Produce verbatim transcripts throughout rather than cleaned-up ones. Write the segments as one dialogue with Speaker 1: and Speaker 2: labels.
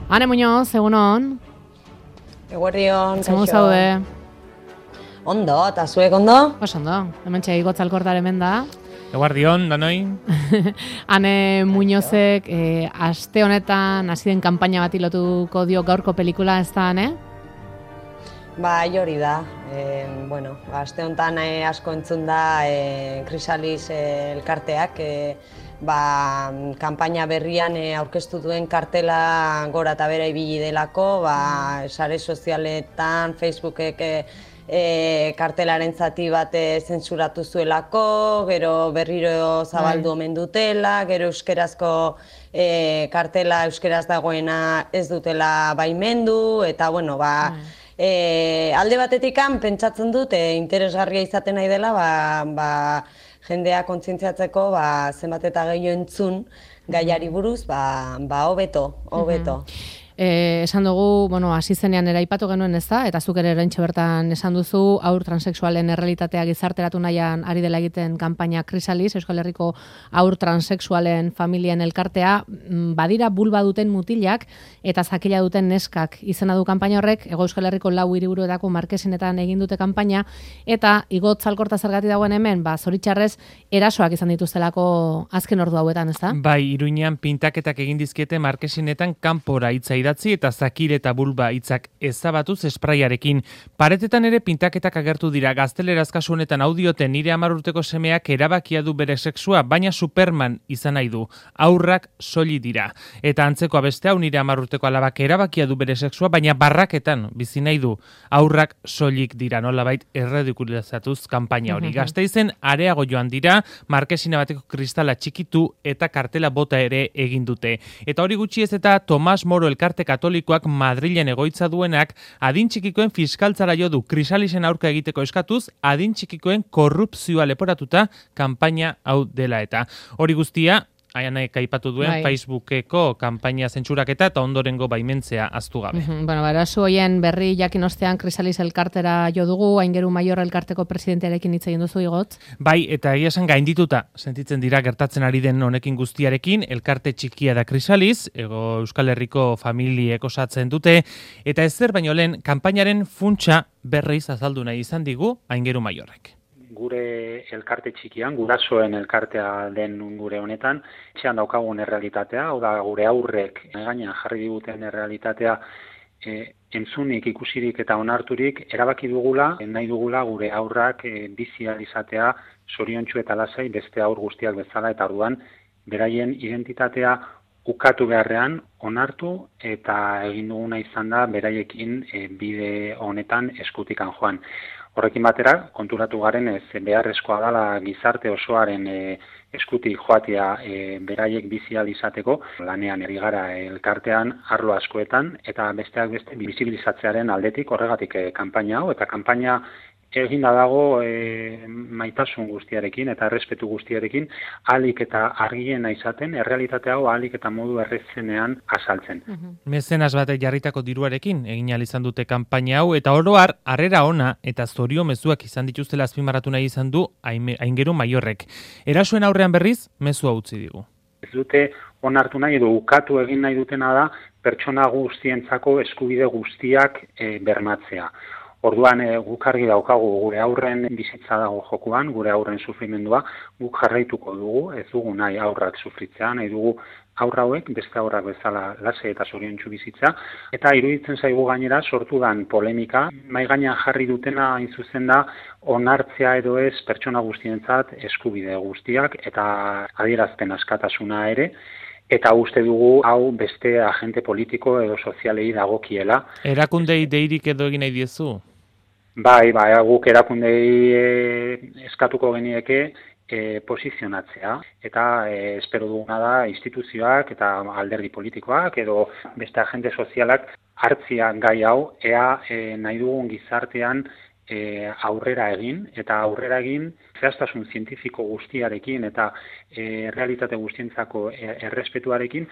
Speaker 1: Ane Muñoz, egunon.
Speaker 2: Eguerdion,
Speaker 1: kaixo. Zemun zaude?
Speaker 2: Ondo, eta zuek ondo?
Speaker 1: Pues ondo, hemen txai gotzalkortar hemen da.
Speaker 3: Eguardion, danoi.
Speaker 1: Ane Muñozek, eh, aste honetan, hasi den kanpaina bat lotuko dio gaurko pelikula, ez da, ane?
Speaker 2: Ba, hori da. E, bueno, aste honetan eh, asko entzun da eh, Krisalis eh, elkarteak, eh, ba, kanpaina berrian e, aurkeztu duen kartela gora eta bera ibili delako, ba, sare sozialetan, Facebookek e, e, kartelaren zati bat e, zentsuratu zuelako, gero berriro zabaldu omen dutela, gero euskerazko e, kartela euskeraz dagoena ez dutela baimendu, eta bueno, ba, e, alde batetikan pentsatzen dut e, interesgarria izaten nahi dela, ba, ba, jendea kontzientziatzeko ba, zenbat eta gehiago entzun gaiari buruz, ba, ba hobeto, hobeto.
Speaker 1: Eh, esan dugu, bueno, hasi zenean eraipatu genuen ez da, eta zuk ere oraintxe bertan esan duzu, haur transexualen errealitatea gizarteratu nahian ari dela egiten kanpaina Krisalis, Euskal Herriko haur transexualen familien elkartea, badira bulba duten mutilak eta zakila duten neskak izena du kanpaina horrek, Hego Euskal Herriko lau hiriburuetako markesinetan egin dute kanpaina, eta igot zalkorta zergatik dagoen hemen, ba, zoritxarrez, erasoak izan dituztelako azken ordu hauetan, ez da?
Speaker 3: Bai, Iruñean pintaketak egin dizkiete markesinetan kanpora hitza idatzi eta zakir eta bulba hitzak ezabatuz espraiarekin. Paretetan ere pintaketak agertu dira. Gazteleraz kasu honetan audioten nire hamar urteko semeak erabakia du bere sexua, baina Superman izan nahi du. Haurrak soli dira. Eta antzeko beste hau nire hamar urteko alabak erabakia du bere sexua, baina barraketan bizi nahi du. Haurrak soilik dira, nolabait erredikulizatuz kanpaina hori. Gasteizen areago joan dira, markesina bateko kristala txikitu eta kartela bota ere egin dute. Eta hori gutxi ez eta Tomas Moro elkarte katolikoak Madrilen egoitza duenak adin txikikoen fiskaltzara jo du Krisalisen aurka egiteko eskatuz, adin txikikoen korrupzioa leporatuta kanpaina hau dela eta. Hori guztia, Aianek aipatu duen bai. Facebookeko kanpaina zentsuraketa eta ondorengo baimentzea aztu gabe.
Speaker 1: Uh-huh. Bueno, berazu hoien berri jakin ostean Krisalis elkartera jo dugu, Aingeru Maior elkarteko presidentearekin hitz egin duzu igot.
Speaker 3: Bai, eta egia esan gaindituta sentitzen dira gertatzen ari den honekin guztiarekin, elkarte txikia da Krisalis, Ego Euskal Herriko familiek osatzen dute, eta ezer baino lehen kanpainaren funtsa berriz azaldu nahi izan digu Aingeru Maiorrek.
Speaker 4: Gure elkarte txikian, gurasoen elkartea den gure honetan, etxean daukagun errealitatea, hau da gure aurrek gainean jarri diguten errealitatea e, entzunik, ikusirik eta onarturik erabaki dugula, nahi dugula gure aurrak e, bizi ahal izatea zoriontsu eta lasai beste aur guztiak bezala, eta orduan beraien identitatea ukatu beharrean onartu eta egin duguna izan da beraiekin e, bide honetan eskutikan joan. Horrekin batera, konturatu garen ez beharrezkoa dela gizarte osoaren e, eskutik joatea e, beraiek bizi ahal izateko, lanean ari gara elkartean arlo askoetan, eta besteak beste bizibilizatzearen aldetik horregatik e, kanpaina hau, eta kanpaina eginda dago e, maitasun guztiarekin eta errespetu guztiarekin, ahalik eta argiena izaten, errealitate hau ahalik eta modu errezenean azaltzen.
Speaker 3: Uh-huh. Mezenas batek jarritako diruarekin egin ahal izan dute kanpaina hau, eta oroar harrera ona eta zorio mezuak izan dituztela azpimarratu nahi izan du Aingeru Maiorrek. Erasoen aurrean berriz, mezua utzi digu.
Speaker 4: Ez dute onartu nahi edo ukatu egin nahi dutena da pertsona guztientzako eskubide guztiak e, bermatzea. Orduan e, guk argi daukagu gure aurren bizitza dago jokuan, gure aurren sufrimendua, guk jarraituko dugu, ez dugu nahi aurrak sufritzea, nahi dugu aurra hauek, beste aurrak bezala lasai eta zoriontsu bizitza, eta iruditzen zaigu gainera sortu dan polemika, mai gainean jarri dutena hain zuzen da onartzea edo ez pertsona guztientzat eskubide guztiak eta adierazpen askatasuna ere, eta uste dugu hau beste agente politiko edo sozialei dagokiela.
Speaker 3: Erakundei deirik edo egin nahi diezu?
Speaker 4: Bai, bai, guk erakundei e, eskatuko genieke e, posizionatzea, eta e, espero duguna da instituzioak eta alderdi politikoak edo beste agente sozialak hartzia gai hau, ea e, nahi dugun gizartean E, aurrera egin, eta aurrera egin zehaztasun zientifiko guztiarekin eta e, realitate guztientzako e, errespetuarekin,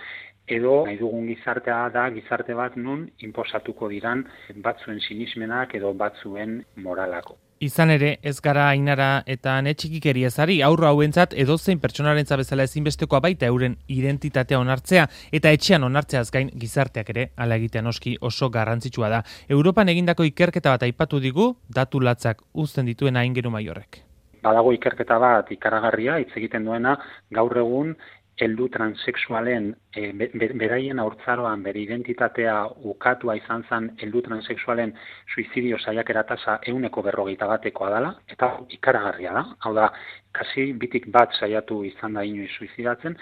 Speaker 4: edo nahi dugun gizartea da gizarte bat nun inposatuko diran batzuen sinismenak edo batzuen moralako.
Speaker 3: Izan ere, ez gara Ainara eta ane txikikeria ezari, aurro hauentzat edozein pertsonarentza bezala ezinbestekoa baita euren identitatea onartzea eta etxean onartzeaz gain gizarteak ere hala egitean oski oso garrantzitsua da. Europan egindako ikerketa bat aipatu digu, datu latzak uzten dituen Aingeru Maiorrek.
Speaker 4: Badago ikerketa bat ikaragarria hitz egiten duena gaur egun heldu transexualen e, beraien haurtzaroan bere identitatea ukatua izan zen heldu transexualen suizidio saiakera tasa ehuneko berrogeita batekoa dela, eta ikaragarria da. Hau da, kasi bitik bat saiatu izan da inoiz suizidatzen,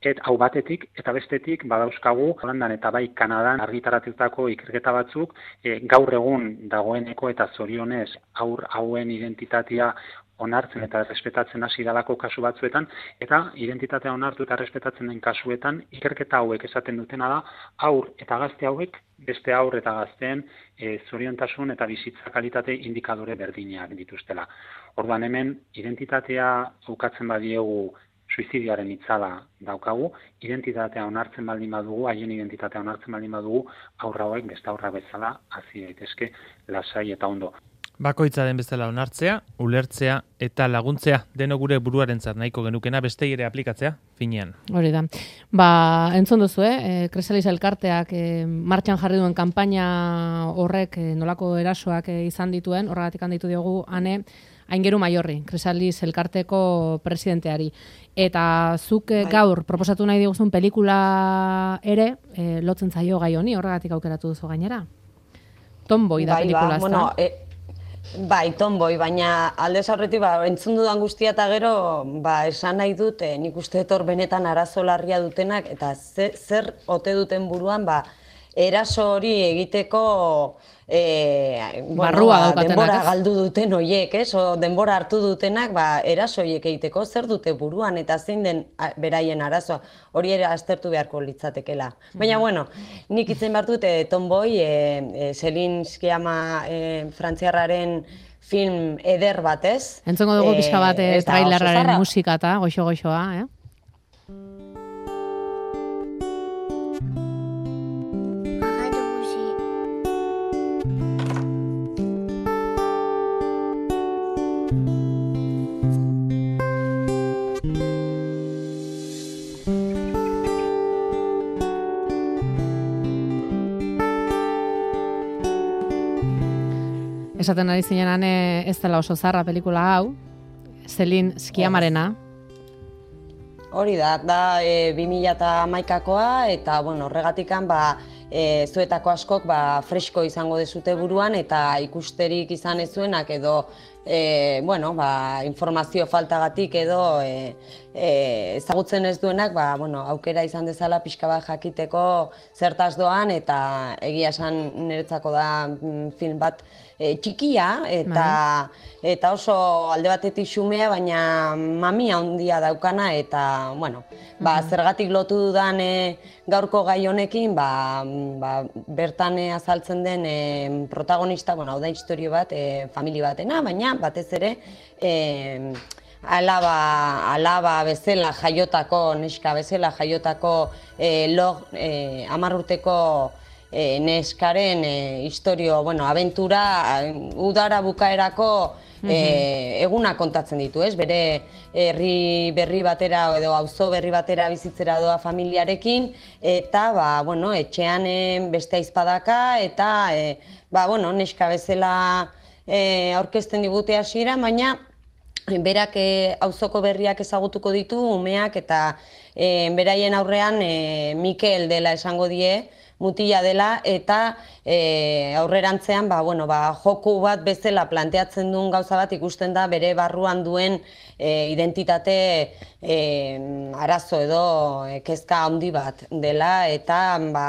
Speaker 4: et hau batetik eta bestetik badauzkagu Holandan eta bai Kanadan argitaratutako ikerketa batzuk e, gaur egun dagoeneko eta zorionez haur hauen identitatea onartzen eta errespetatzen hasi dalako kasu batzuetan, eta identitatea onartu eta errespetatzen den kasuetan, ikerketa hauek esaten dutena da, aur eta gazte hauek, beste aur eta gazteen e, zoriontasun eta bizitza kalitate indikadore berdinak dituztela. Orduan hemen, identitatea ukatzen badiegu suizidioaren itzala daukagu, identitatea onartzen baldin badugu, haien identitatea onartzen baldin badugu, aurra hauek beste aurra bezala hazi daitezke lasai eta ondo.
Speaker 3: Bakoitza den bezala onartzea, ulertzea eta laguntzea deno gure buruarentzat nahiko genukena beste ere aplikatzea finean.
Speaker 1: Hori da. Ba, entzun duzu, eh, Krisalis elkarteak eh, martxan jarri duen kanpaina horrek eh, nolako erasoak eh, izan dituen, horregatik handitu diogu ane Aingeru Maiorri, Krisalis elkarteko presidenteari. Eta zuk eh, gaur proposatu nahi diguzun pelikula ere eh, lotzen zaio gai honi, horregatik aukeratu duzu gainera. Tomboy da
Speaker 2: bai,
Speaker 1: pelikula,
Speaker 2: ba, bueno, e, bai, Tomboy, baina aldez aurretik ba, entzun dudan guztia eta gero ba, esan nahi dut, eh, nik uste etor benetan arazo larria dutenak, eta ze, zer ote duten buruan, ba, eraso hori egiteko e, bueno, ba, denbora galdu duten hoiek, ez? O, denbora hartu dutenak ba, eraso horiek egiteko zer dute buruan eta zein den beraien arazoa, hori ere aztertu beharko litzatekela. Baina, bueno, nik itzen behar dut e, Tomboy, e, e, Celine Sciamma e, frantziarraren film eder batez.
Speaker 1: Entzongo dugu pixka bat e, trailerraren musika eta goxo-goxoa, eh? Esaten ari zinenan ez dela oso zarra pelikula hau, Celine Sciammarena.
Speaker 2: Hori da, da e, bi mila hamaikakoa eta bueno, horregatikan ba, e, zuetako askok ba, fresko izango dezute buruan eta ikusterik izan ez zuenak edo e, bueno, ba, informazio faltagatik edo e, e, ezagutzen ez duenak ba, bueno, aukera izan dezala pixka bat jakiteko zertaz doan eta egia esan niretzako da film bat E, txikia eta, eta oso alde batetik xumea, baina mamia handia daukana eta, bueno, ba, zergatik lotu dudan e, gaurko gai honekin, ba, ba, bertan azaltzen den e, protagonista, bueno, hau da historio bat, e, familia batena, baina batez ere e, alaba, alaba bezala jaiotako, neska bezala jaiotako e, log, e, hamar urteko E, neskaren e, historio, bueno, abentura, udara bukaerako e, eguna kontatzen ditu, ez? Bere herri berri batera edo auzo berri batera bizitzera doa familiarekin eta ba, bueno, etxean e, beste aizpadaka eta e, ba, bueno, neska bezala e, aurkezten digute hasiera, baina berak e, auzoko berriak ezagutuko ditu umeak eta e, beraien aurrean e, Mikel dela esango die, mutila dela eta e, aurrerantzean ba, bueno, ba, joku bat bezala planteatzen duen gauza bat ikusten da bere barruan duen e, identitate e, arazo edo e, kezka handi bat dela eta ba,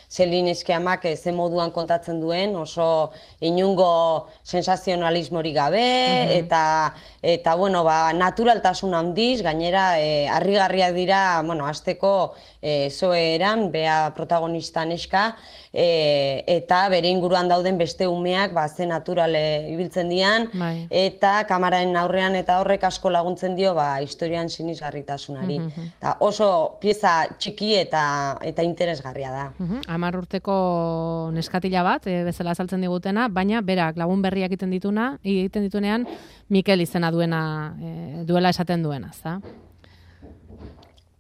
Speaker 2: Celine Sciammak ze moduan kontatzen duen oso inungo sensazionalismorik gabe uh-huh. eta, eta bueno, ba, naturaltasun handiz, gainera e, harrigarriak dira, bueno, hasteko e, zoeran, bea protagonista neska, e, eta bere inguruan dauden beste umeak ba, ze naturale ibiltzen dian,
Speaker 1: bai.
Speaker 2: eta kamararen aurrean eta horrek asko laguntzen dio ba, historian sinisgarritasunari.
Speaker 1: Mhm.
Speaker 2: Eta oso pieza txiki eta eta interesgarria da.
Speaker 1: Mhm. Hamar urteko neskatila bat, e, bezala azaltzen digutena, baina berak lagun berriak egiten dituna, egiten ditunean Mikel izena duena, e, duela esaten duena, ezta?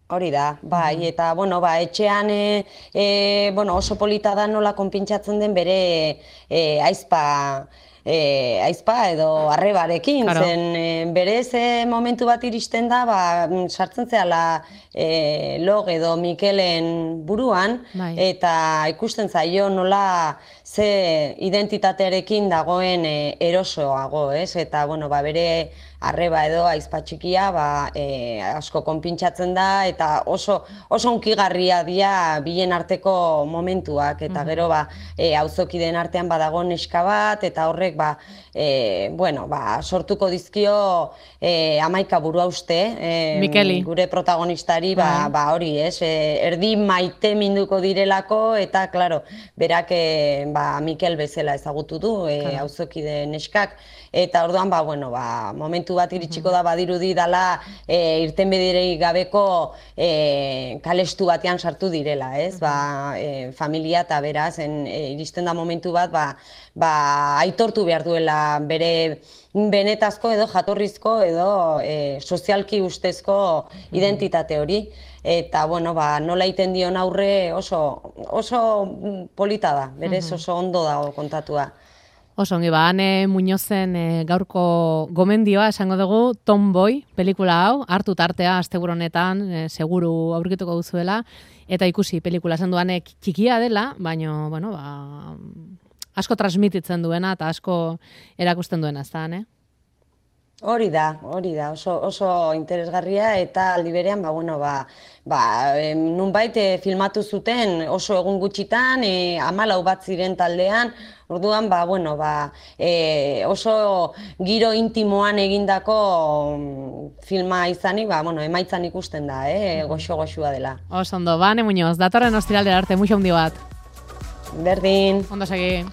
Speaker 2: Hori da, bai, eta bueno, ba, etxean e, e, bueno, oso polita da nola konpintxatzen den bere e, aizpa, e, aizpa edo arrebarekin,
Speaker 1: Claro.
Speaker 2: zen e, berez e, momentu bat iristen da, ba, sartzen zehala e, log edo Mikelen buruan,
Speaker 1: Bai.
Speaker 2: eta ikusten zaio nola ze identitatearekin dagoen e, erosoago, ez? Eta, bueno, ba, bere arreba edo aizpa txikia ba, e, asko konpintxatzen da eta oso oso hunkigarria dira bien arteko momentuak eta gero ba e, auzokideen artean badago neska bat eta horrek ba e, bueno, ba, sortuko dizkio e, hamaika buruhauste e,
Speaker 1: Mikeli.
Speaker 2: gure protagonistari ba, ba hori, ez? E, erdi maite minduko direlako eta claro, berak e, ba, Mikel bezala ezagutu du e,
Speaker 1: Claro.
Speaker 2: auzokide neskak eta orduan ba bueno, ba momentu bat iritsiko da badirudi dala e, irtenbiderik gabeko e, kalestu batean sartu direla, ez? Ba, e, familia eta beraz en, e, iristen da momentu bat ba, ba aitortu behar duela bere benetazko edo jatorrizko edo e, sozialki ustezko identitate hori. Eta, bueno, ba, nola egiten dion aurre oso, oso polita da, berez oso ondo dago kontatua.
Speaker 1: Oso ongi, ba, Ane Muñozen e, gaurko gomendioa esango dugu Tomboy pelikula hau, hartu tartea asteburu honetan, e, seguru aurkituko duzuela, eta ikusi pelikula esan duanek txikia dela, baina, bueno, ba, asko transmititzen duena eta asko erakusten duena, ez da, Ane?
Speaker 2: Hori da, hori da, oso, oso interesgarria eta aldi berean, ba, bueno, ba, ba, em, nunbait e, filmatu zuten oso egun gutxitan, e, hamalau bat ziren taldean, orduan, ba, bueno, ba, e, oso giro intimoan egindako mm, filma izanik, ba, bueno, emaitzan ikusten da, eh, goxo-goxua dela.
Speaker 1: Oso ondo, ba, Ane Muñoz, datorren ostiralera arte, muxo handi bat.
Speaker 2: Berdin.
Speaker 1: Ondo segi.